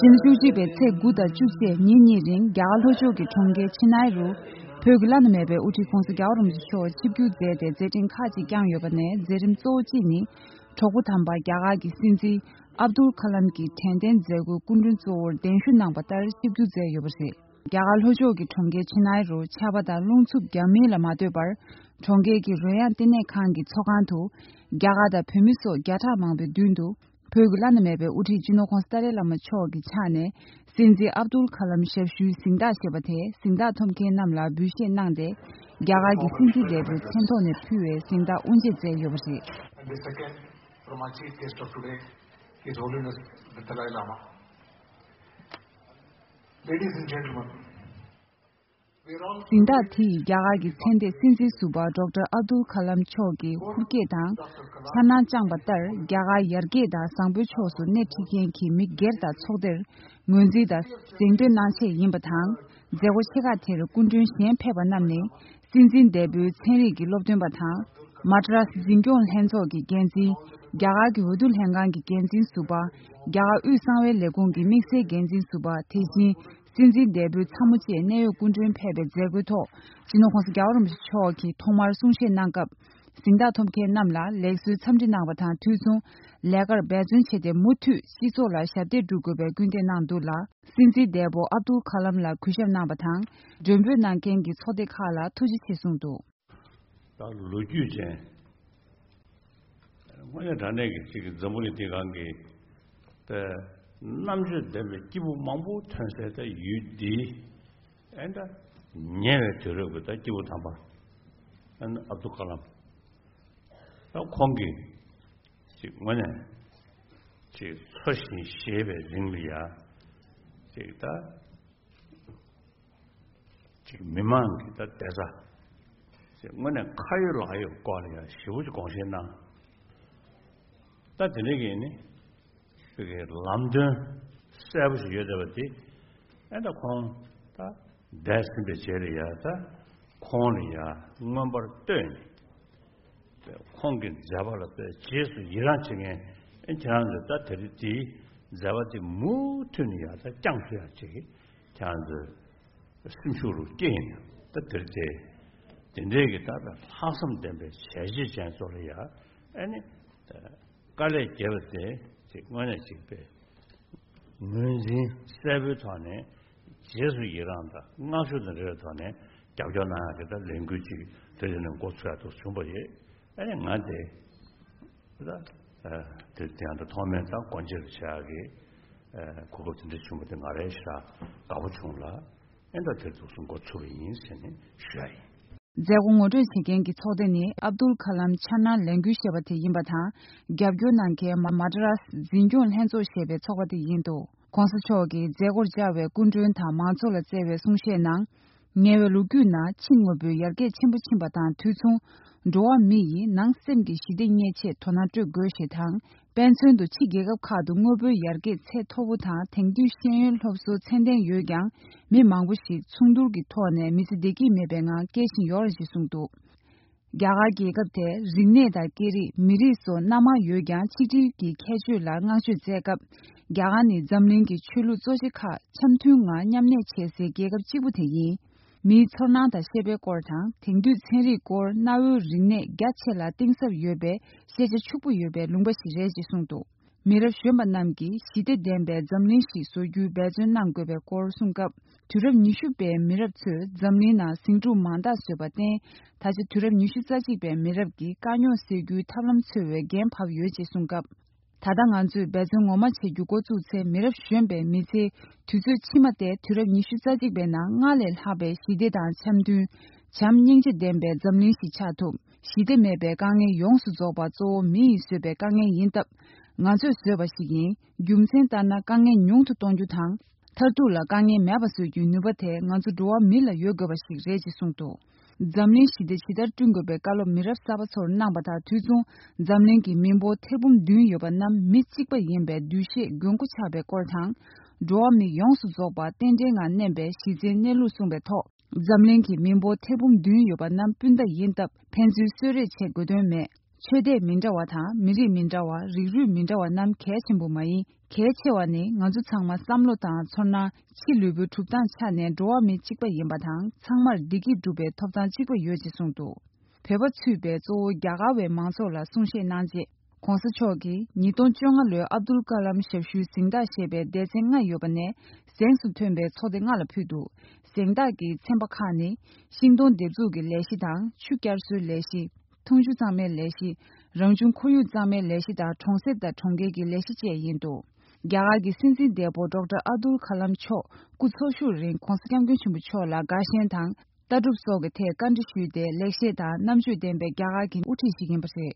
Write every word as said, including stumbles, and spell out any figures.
ཕྱི་ཟླ་བཅུ་གཅིག་པའི་ཚེས་དགུ་དང་བཅུ་བཅས་ཉིན་གཉིས་རིང་རྒྱ་གར་ལྷོ་ཕྱོགས་ཀྱི་གྲོང་ཁྱེར་ཆེ་ནའི་རུ་བོད་ཀྱི་བླ་ན་མེད་པའི་དབུ་ཁྲིད་༸གོང་ས་༸རྒྱལ་བ་རིན་པོ་ཆེ་མཆོག་ཆིབས་བསྒྱུར་མཛད་དེ་མཛད་འཕྲིན་ཁག་ཅིག་བསྐྱངས་ཡོད་པ་ནས། མཛད་རིམ་གཙོ་བོ་གཅིག་ནི། གྲོགས་པོ་དམ་པ་རྒྱ་གར་གྱི་སྲིད་འཛིན་ཨབ་དུལ་ཁ་ལམ་གྱི་དྲན་རྟེན་མཛད་སྒོའི་སྐུ་མགྲོན་གཙོ་བོར་གདན་ཞུ་གནང་པ་ལྟར་ཆིབས་བསྒྱུར་མཛད་ཡོད་པ་རེད། རྒྱ་གར་ལྷོ་ཕྱོགས་ཀྱི་གྲོང་ཁྱེར་ཆེ་ནའི་རུ་ཆར་པ་དང་རླུང་འཚུབ་རྒྱག་མིན་ལ་མ་ལྟོས་པར། གྲོང་ཁྱེར་གྱི་རོལ་དབྱངས་བསྟི་གནས་ཁང་གི་ཚོགས་ཁང་དུ། རྒྱ་གར་དང་བོད་མི་སོགས་བརྒྱ་ཕྲག་མང་པོའི་མདུན་དུ། བོད་ཀྱི་བླ་ན་མེད་པའི་དབུ་ཁྲིད་སྤྱི་ནོར་༸གོང་ས་ཏཱ་ལའི་བླ་མ་མཆོག་གི་ཕྱག་ནས། སྲིད་འཛིན་ཨབ་དུལ་ཁ་ལམ་ཞབས་ཞུའི་གཟེངས་རྟགས་ཞེས་པ་དེ་གཟེངས་རྟགས་ཐོབ་མཁན་རྣམས་ལ་འབུལ་བཞེས་གནང་སྟེ། རྒྱ་གར་གྱི་སྲིད་འཛིན་འདས་པོའི་མཚན་ཐོག་ནས་ཕུལ་བའི་གཟེངས་རྟགས་དབུ་འབྱེད་མཛད་ཡོད་པ་རེད། And the second from our chief guest of today, His Holiness the Dalai Lama. Ladies and gentlemen, we are all གཟེངས་རྟགས་དེ་ཡིས་རྒྱ་གར་གྱི་མཚན་ལྡན་སྲིད་འཛིན་ཟུར་པ་ཌོག་ཊར་ཨབ་དུལ་ཁ་ལམ་མཆོག་གི་ཧུར་སྐྱེད་དང་འཆར་སྣང་བཅངས་པ་ལྟར། རྒྱ་གར་ཡར་རྒྱས་དང་བཟང་པོའི་ཕྱོགས་སུ་སྣེ་ཁྲིད་མཁན་གྱི་མི་སྒེར་དང་ཚོགས་སྡེར་ངོས་འཛིན་དང་གཟེངས་བསྟོད་གནང་ཆེད་ཡིན་པ་དང་། མཛད་སྒོ་ཆེ་ཁག་དེར་སྐུ་མགྲོན་གཞན་ཕེབས་པ་རྣམས་ནི། སྲིད་འཛིན་འདས་པོའི་ཚན་རིག་གི་སློབ་སྟོན་པ་དང་། མ་ཏྲ་སི་འཛིན་སྐྱོང་ལྷན་ཚོགས་ཀྱི་འགན་འཛིན། རྒྱ་གར་གྱི་འོས་བསྡུ་ལྷན་ཁང་གི་འགན་འཛིན་ཟུར་པ། རྒྱ་གར་དབུས་གསང་བའི་ལས་ཁུངས་ཀྱི་དམིགས་བསལ་འགན་འཛིན་ཟུར་པ། དེ་བཞིན། སྲིད་འཛིན་འདས་པོའི་ཚ་མོ་བཅས་གནད་ཡོད་སྐུ་མགྲོན་ཕེབས་པའི་མཛད་སྒོའི་ཐོག་སྤྱི་ནོར་༸གོང་ས་༸རྒྱལ་བ་རིན་པོ་ཆེ་མཆོག་གིས་ཐོག་མར་གསུང་བཤད་གནང་སྐབས། གཟེངས་རྟགས་ཐོབ་མཁན་རྣམས་ལ་ལེགས་གསོའི་འཚམས་འདྲི་གནང་བ་དང་དུས་མཚུངས། ལས་ཀར་འབད་བརྩོན་བྱས་ཏེ་མུ་མཐུད་སྤྱི་ཚོགས་ལ་ཞབས་འདེགས་སྒྲུབ་དགོས་པའི་སྐུལ་འདེད་གནང་འདུག་ལ། སྲིད་འཛིན་འདས་པོ་ཨབ་དུལ་ཁ་ལམ་ལ་གུས་ཞབས་གནང་བ་དང་། མགྲོན་འབོད་གནང་མཁན་གྱི་ཚོགས་སྡེ་ཁག་ལ་ཐུགས་རྗེ་ཆེ་གསུངས་འདུག། ད་ལོ་རྒྱུས་ཅན། དངོས་གནས་དྲང་གནས་ཀྱི་གཅིག་གི་འཛམ་བུ་གླིང་འདི་སྒང་གི་ད་རྣམ་དཔྱོད་ལྡན་པའི་སྐྱེས་བུ་མང་པོ་ཐོན་སའི་ད་ཡུལ་འདི། ཨེ་ད་ཉེ་བའི་དུས་རབས་ཀྱི་ད་སྐྱེས་བུ་དམ་པ་ཨ་ནི་ཨབ་དུལ་ཀ་ལམ། ད་ཁོང་གིས་ཅིག་དངོས་གནས་ཅིག་འཚོ་ཞིང་གཞེས་པའི་རིང་ལ་ཡ་ཅིག་ད། ཅིག་མི་མང་གི་ད་བསྡད་ས། ཅིག་དངོས་གནས་ཁ་ཡོད་ལག་ཡོད་སྐོར་ལ་ཡང་ཞེ་པོ་ཅིག་དགོངས་བཞེས་གནང་། ད་དེ་འདྲ་གི་ནི་ཅིག་གི་ལམ་སྟོན་གསལ་པོ་ཞིག་ཡོད་བསྡད་པ་དེ། ཨེ་ད་ཁོང་ད་འདས་ཟིན་པའི་རྗེས་ལ་ཡང་ད་ཁོང་ལ་ཡང་མངོན་པར་བསྟོད་ནས། ཁོང་གི་མཛད་པ་ལ་དཔེ་རྗེས་སུ་ཡི་རང་བྱེད་མཁན། ཨེ་ཁྱེད་རང་ཚོས་ད་དེ་རིང་དེའི་མཛད་པ་དེ་མུ་མཐུད་ནས་ཡང་ད་བསྐྱངས་ཐུབ་ཡག་ཅིག་ཁྱེད་རང་ཚོས་སེམས་ཤུགས་རུ་སྐྱེད་ཡིན། ད་དེར་དེ་དེ་འདྲའི་གི་ད་ལྟ་ལྷག་བསམ་ལྡན་པའི་བྱས་རྗེས་ཅན་ཚོ་ལ་ཡ་ཨ་ནི་དཀའ་ལས་བརྒྱབ་པ་དེ་དེ་དངོས་གནས་ཅིག་པས་ངོས་འཛིན་གསལ་པོའི་ཐོག་ནས་རྗེས་སུ་ཡི་རང་དང་བསྔགས་བརྗོད་དང་འབྲེལ་བའི་ཐོག་ནས་རྒྱབ་སྐྱོར་གནང་ཡག་གི་ད་ལས་འགུལ་ཅིག་དེ་རིང་ནས་འགོ་ཚུགས་ཡག་ཏུ་བྱུང་བ་རེད། ཨ་ནི་ང་དེ་ད་དེ་དེ་ཡང་ད་ཐོག་མའི་ད་སྒོ་འབྱེད་བྱ་ཡག་གི་གོ་སྐབས་དེ་འདྲ་བྱུང་བ་དེ་ང་རང་ཞེ་དྲག་དགའ་པོ་བྱུང་ལ། ཨེ་ད་དེར་འདུག་སེ་འགོ་ཚུགས་པ་ཡིན་ཟེར་ནས་ཞུ་ཡ་ཡིན། མཛད་སྒོ་ངོ་སྤྲོད་བྱེད་མཁན་གྱི་ཚོགས་སྡེ་ནི་ཨབ་དུལ་ཁ་ལམ་འཆར་སྣང་ལས་འགུལ་ཞེས་པ་དེ་ཡིན་པ་དང་། རྒྱབ་སྐྱོར་གནང་མཁན་མ་མ་ཏྲ་རཱས་འཛིན་སྐྱོང་ལྷན་ཚོགས་ཞེས་པའི་ཚོགས་པ་དེ་ཡིན་འདུག། ༸གོང་ས་མཆོག་གིས་མཛད་སྒོར་བཅར་བའི་སྐུ་མགྲོན་དང་མང་ཚོགས་ལ་སྩལ་བའི་གསུང་བཤད་ནང་། ཉེ་བའི་ལོ་རྒྱུས་ནང་ཕྱི་དངོས་པོའི་ཡར་རྒྱས་ཆེན་པོ་ཕྱིན་པ་དང་དུས་མཚུངས། འགྲོ་བ་མི་ཡིས་ནང་སེམས་ཀྱི་ཞི་བདེ་རྙེད་ཆེད་དོ་སྣང་སྤྲོད་དགོས་ཞེས་དང་། དཔེ་མཚོན་དུ་ཕྱི་རྒྱལ་ཁབ་ཁག་ཏུ་དངོས་པོའི་ཡར་རྒྱས་ཚད་མཐོ་པོ་དང་དེང་དུས་ཤེས་ཡོན་སློབ་གསོ་ཚད་ལྡན་ཡོད་ཀྱང་། མི་མང་པོ་ཞིག་མཚུངས་བསྡུར་གྱི་ཐོག་ནས་མི་ཚེ་བདེ་སྐྱིད་མེད་པའི་ངང་སྐྱེལ་བཞིན་ཡོད་རེད་ཅེས་གསུངས་འདུག། རྒྱ་གར་རྒྱལ་ཁབ་དེ་རིག་གནས་དང་སྐད་རིགས་མི་རིགས་སོགས་སྣ་མང་ཡོད་ཀྱང་། ཆིག་སྒྲིལ་གྱི་ཁྱད་ཆོས་ལ་བསྔགས་བརྗོད་མཛད་སྐབས། རྒྱ་གར་ནི་འཛམ་གླིང་གི་ཆོས་ལུགས་གཙོ་ཆེ་ཁག་འཆམ་མཐུན་ངང་མཉམ་གནས་བྱེད་སའི་རྒྱལ་ཁབ་གཅིག་པུ་དེ་ཡིན། མིའི་ཚོར་སྣང་དང་ཤེས་པའི་སྐོར་དང་། དེང་དུས་ཚན་རིག་སྐོར་གནའ་བོའི་རིག་གནས་རྒྱ་ཆེ་ལ་གཏིང་ཟབ་ཡོད་པའི་ཤེས་བྱ་ཕྱུག་པོ་ཡོད་པའི་ལུང་པ་ཞིག་རེད་ཅེས་གསུངས་འདུག། མི་རབས་གཞོན་པ་རྣམས་ཀྱིས་ཞི་བདེ་ལྡན་པའི་འཛམ་གླིང་ཞིག་བཟོ་རྒྱུའི་འབད་བརྩོན་གནང་དགོས་པའི་སྐོར་གསུངས་སྐབས། དུས་རབས་ཉི་ཤུ་པའི་མི་རབས་ཚོས་འཛམ་གླིང་ནང་ཟིང་འཁྲུག་མང་དག་བཟོས་པར་བརྟེན། ད་ཆ་དུས་རབས་ཉི་ཤུ་རྩ་གཅིག་པའི་མི་རབས་ཀྱིས་དཀའ་རྙོག་སེལ་རྒྱུའི་ཐབས་ལམ་འཚོལ་བའི་འགན་བབས་ཡོད་ཅེས་གསུངས་སྐབས། ད་ལྟ་ང་ཚོས་འབད་བརྩོན་ངོ་མ་བྱེད་རྒྱུ་འགོ་བཙུགས་ཚེ། མི་རབས་གཞོན་པའི་མི་ཚེའི་དུས་ཚོད་ཕྱི་མ་དེ་དུས་རབས་ཉི་ཤུ་རྩ་གཅིག་པའི་ནང་སྔར་ལས་ལྷག་པའི་ཞི་བདེ་དང་འཆམ་མཐུན། བྱམས་སྙིང་རྗེ་ལྡན་པའི་འཛམ་གླིང་ཞིག་ཆགས་ཐུབ། ཞི་བདེ་མེད་པའི་དཀའ་ངལ་ཡོངས་སུ་རྫོགས་པ་གཙོ་བོ་མི་ཡིས་བཟོས་པའི་དཀའ་ངལ་ཡིན་སྟབས། ང་ཚོས་བཟོས་པ་ཞིག་ཡིན། རྒྱུ་མཚན་ལྟར་ན། དཀའ་ངལ་ཉུང་དུ་གཏོང་རྒྱུ་དང་། མཐར་ཐུག་ལ་དཀའ་ངལ་མེད་པ་བཟོ་རྒྱུའི་ནུས་པ་དེ་ང་ཚོ་འགྲོ་བ་མི་ལ་ཡོད་དགོས་པ་ཞིག་རེད་ཅེས་གསུངས་འདུག། འཛམ་གླིང་ཞི་བདེ་ཇི་ལྟར་བསྐྲུན་དགོས་པའི་བཀའ་སློབ་མི་རབས་གསར་པ་ཚོར་གནང་པ་དང་དུས་མཚུངས། འཛམ་གླིང་གི་མི་འབོར་ཐེར་འབུམ་བདུན་ཡོད་པ་རྣམས་མི་གཅིག་པ་ཡིན་པའི་འདུ་ཤེས་མགོན་པོ་ཆགས་པའི་སྐོར་དང་། འགྲོ་བ་མི་ཡོངས་སུ་རྫོགས་པ་རྟེན་འབྲེལ་ངང་གནས་པའི་གཞི་རྩའི་གནས་ལུགས་གསུངས་པའི་ཐོག། འཛམ་གླིང་གི་མི་འབོར་ཐེར་འབུམ་བདུན་ཡོད་པ་རྣམས་སྤུན་ཟླ་ཡིན་སྟབས། ཕན་ཚུན་གསོད་རེས་བྱེད་དགོས་དོན་མེད། ཆོས་དད་མི་འདྲ་བ་དང་མི་རིགས་མི་འདྲ་བ། རིགས་རུས་མི་འདྲ་བ་རྣམས་གལ་ཆེན་པོ་མ་ཡིན། གལ་ཆེ་བ་ནི་ང་ཚོ་ཚང་མ་བསམ་བློ་དང་ཚོར་སྣང་། ཕྱི་ལུས་པོའི་གྲུབ་སྟངས་ཆ་ནས་འགྲོ་བ་མི་གཅིག་པ་ཡིན་པ་དང་། ཚང་མར་བདེ་སྐྱིད་སྒྲུབ་པའི་ཐོབ་ཐང་གཅིག་པ་ཡོད་ཅེས་གསུངས་འདུག་བོད་པ་ཚུད་པའི་གཙོ་བོ་རྒྱ་གར་བའི་མང་ཚོགས་ལ་གསུང་བཤད་གནང་རྗེས། ྋགོང་ས་མཆོག་གིས་ཉིས་སྟོང་བཅོ་ལྔ་ལོའི་ཨབ་དུལ་ཀ་ལམ་ཞབས་ཞུའི་གཟེངས་རྟགས་ཞེས་པའི་སྡེ་ཚན་ལྔ་ཡོད་པ་ནས། གཟེངས་སུ་ཐོན་པའི་ཚོགས་སྡེ་ལྔ་ལ་ཕུལ་འདུག་གཟེངས་རྟགས་ཀྱི་ཚན་པ་ཁག་ནི། ཤིང་སྡོང་འདེབས་འཛུགས་ཀྱི་ལས་གཞི་དང་། ཆུ་བསྐྱར་གསོའི་ལས་གཞི། འཐུང་ཆུ་གཙང་མའི་ལས་གཞི། རང་བྱུང་ཁོར་ཡུག་གཙང་མའི་ལས་གཞི་དང་། གྲོང་གསེབ་དང་གྲོང་ཁྱེར་གྱི་ལས་གཞི་བཅས་ཡིན་འདུག་རྒྱ་གར་གྱི་སྲིད་འཛིན་འདས་པོ་ཌོག་ཊར་ཨབ་དུལ་ཁ་ལམ་མཆོག་སྐུ་འཚོ་བཞུགས་རིང་ྋགོང་ས་ྋསྐྱབས་མགོན་ཆེན་པོ་མཆོག་ལ་དགའ་ཞེན་དང་། ལྟ་གྲུབ་སོགས་ཀྱི་ཐད་བཀའ་འདྲི་ཞུས་ཏེ། ལེགས་བཤད་དང་རྣམ་དཔྱོད་ལྡན་པའི་རྒྱ་གར་གྱི་དབུ་ཁྲིད་ཞིག་ཡིན་པ་རེད།